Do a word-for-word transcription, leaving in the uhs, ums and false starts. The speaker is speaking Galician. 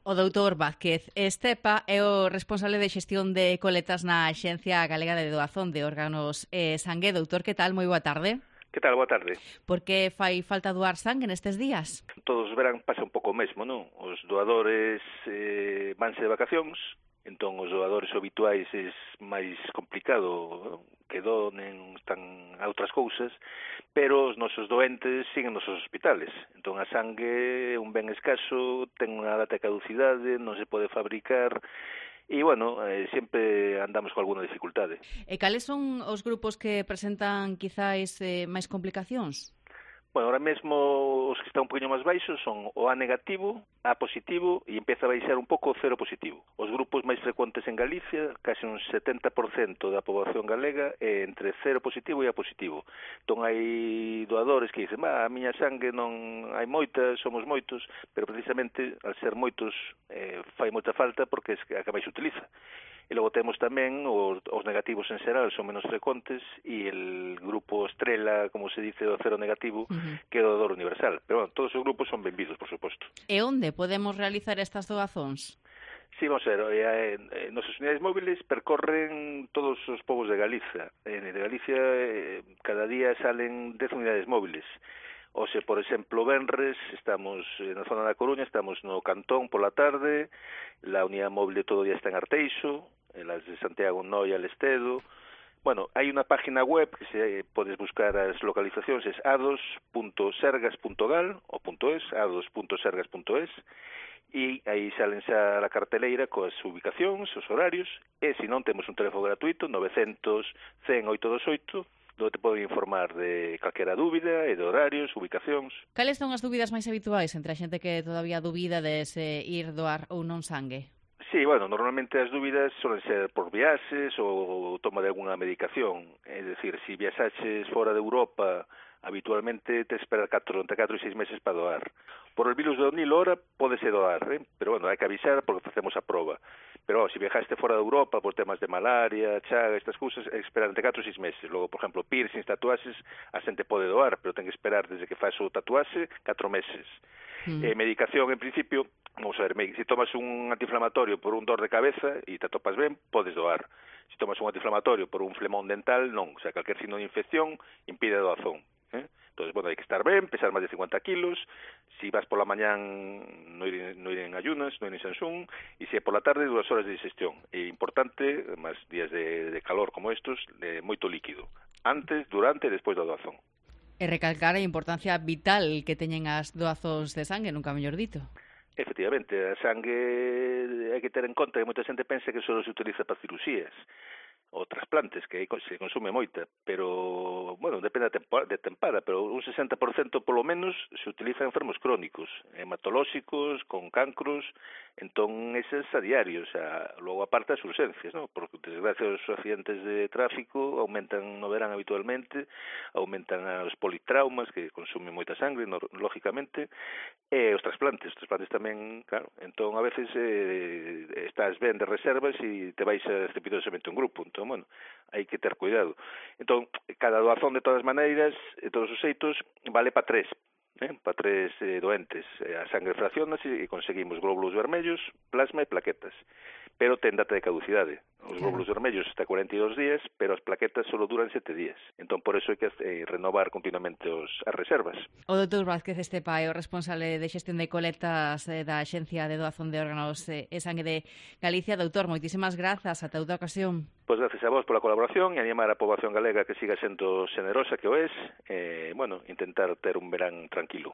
O doutor Vázquez Estepa é o responsable de xestión de coletas na Axencia Galega de Doazón de Órganos e Sangue. Doutor, que tal? Moi boa tarde. Que tal? Boa tarde. Por que fai falta doar sangue nestes días? Todos os verán pasa un pouco o mesmo, non? Os doadores eh, vanse de vacacións, entón os doadores habituais é máis complicado, non? Que donen, están a outras cousas, pero os nosos doentes siguen nos hospitales. Entón a sangue é un ben escaso, ten unha data de caducidade, non se pode fabricar, e, bueno, eh, sempre andamos con alguna dificultade. E cales son os grupos que presentan quizáis eh, máis complicacións? Bueno, ahora mesmo os que están un poquinho máis baixos son o A negativo, A positivo e empeza a baixar un pouco o cero positivo. Os grupos máis frecuentes en Galicia, case un setenta por cento da poboación galega é entre cero positivo e A positivo. Entón hai doadores que dicen, a miña sangue non hai moita, somos moitos, pero precisamente al ser moitos eh, fai moita falta porque é a que máis se utiliza. E logo temos tamén os, os negativos en xeral son menos frecuentes e el grupo estrela, como se dice, o cero negativo, uh-huh. que é o doador universal. Pero, bueno, todos os grupos son benvidos, por suposto. E onde podemos realizar estas doazóns? Sí, vamos a ver, eh, eh, nosas unidades móviles percorren todos os povos de Galicia. En de Galicia eh, cada día salen dez unidades móviles. O se, por exemplo, venres, estamos na zona da Coruña, estamos no Cantón pola tarde, la unidade móvil de todo o día está en Arteixo, las de Santiago, Noia, Lestedo. Bueno, hai unha página web que se podes buscar as localizacións, é ados punto sergas punto gal ou .es, ados punto sergas punto es, e aí salen xa a carteleira coas ubicacións, os horarios, e se non temos un teléfono gratuito, novecentos, cen, oitocentos vinte e oito, onde te poden informar de calquera dúbida e de horarios, ubicacións. Cales son as dúbidas máis habituais entre a xente que todavía dubida de se ir doar ou non sangue? Sí, bueno, normalmente as dúbidas suelen ser por viaxes ou toma de alguna medicación. É dicir, se viaxaches fora de Europa, habitualmente te esperar catro, entre catro e seis meses para doar. Por el virus do Nilo, ahora podese doar, eh? Pero, bueno, hai que avisar porque facemos a proba. Pero, oh, se viajaste fora de Europa por temas de malaria, chaga, estas cousas, é esperar entre catro e seis meses. Logo, por exemplo, piercings, tatuaxes, a xente pode doar, pero ten que esperar desde que faz o tatuaxe catro meses. Mm. Eh, medicación, en principio, vamos a ver, se tomas un antiinflamatorio por un dor de cabeza e te atopas ben, podes doar. Se tomas un antiinflamatorio por un flemón dental, non. O sea, calquer signo de infección impide a doazón. Eh? Entonces, bueno, hai que estar ben, pesar máis de cincuenta kilos, si vas pola mañán non ir, no ir en ayunas, non ir en Sansún, e se é pola tarde, dúas horas de digestión. É importante, máis días de, de calor como estos, de moito líquido, antes, durante e despois da doazón. E recalcar a importancia vital que teñen as doazóns de sangue, nunca mellor dito. Efectivamente, a sangue hai que ter en conta que moita xente pensa que só se utiliza para cirurxías ou trasplantes, que aí se consume moita, pero, bueno, depende de tempada, pero un sesenta por cento polo menos se utiliza en enfermos crónicos, hematolóxicos, con cancros, entón eses a diario, o sea, logo aparte as urgencias, ¿no? Porque, desgracia, os accidentes de tráfico aumentan no verán habitualmente, aumentan os politraumas, que consumen moita sangre, no, lógicamente, e os trasplantes, os trasplantes tamén, claro, entón a veces eh, estás ben de reservas e te vais estrepitosamente un grupo, entón, bueno, hai que ter cuidado. Entón, cada doazón de todas maneiras, de todos os xeitos, vale para tres, eh, para tres eh, doentes. A sangre fraccionas e conseguimos glóbulos vermellos, plasma e plaquetas. Pero ten data de caducidade. Os glóbulos vermellos hasta cuarenta e dos días, pero as plaquetas só duran sete días. Entón, por eso hai que eh, renovar continuamente os, as reservas. O doutor Vázquez Estepa é o responsable de xestión de coletas eh, da Axencia de Doazón de Órganos eh, e Sangue de Galicia. Doutor, moitísimas grazas. Ata outra ocasión. Pois gracias a vos pola colaboración e animar a poboación galega que siga sendo xenerosa que o es. Eh, bueno, intentar ter un verán tranquilo.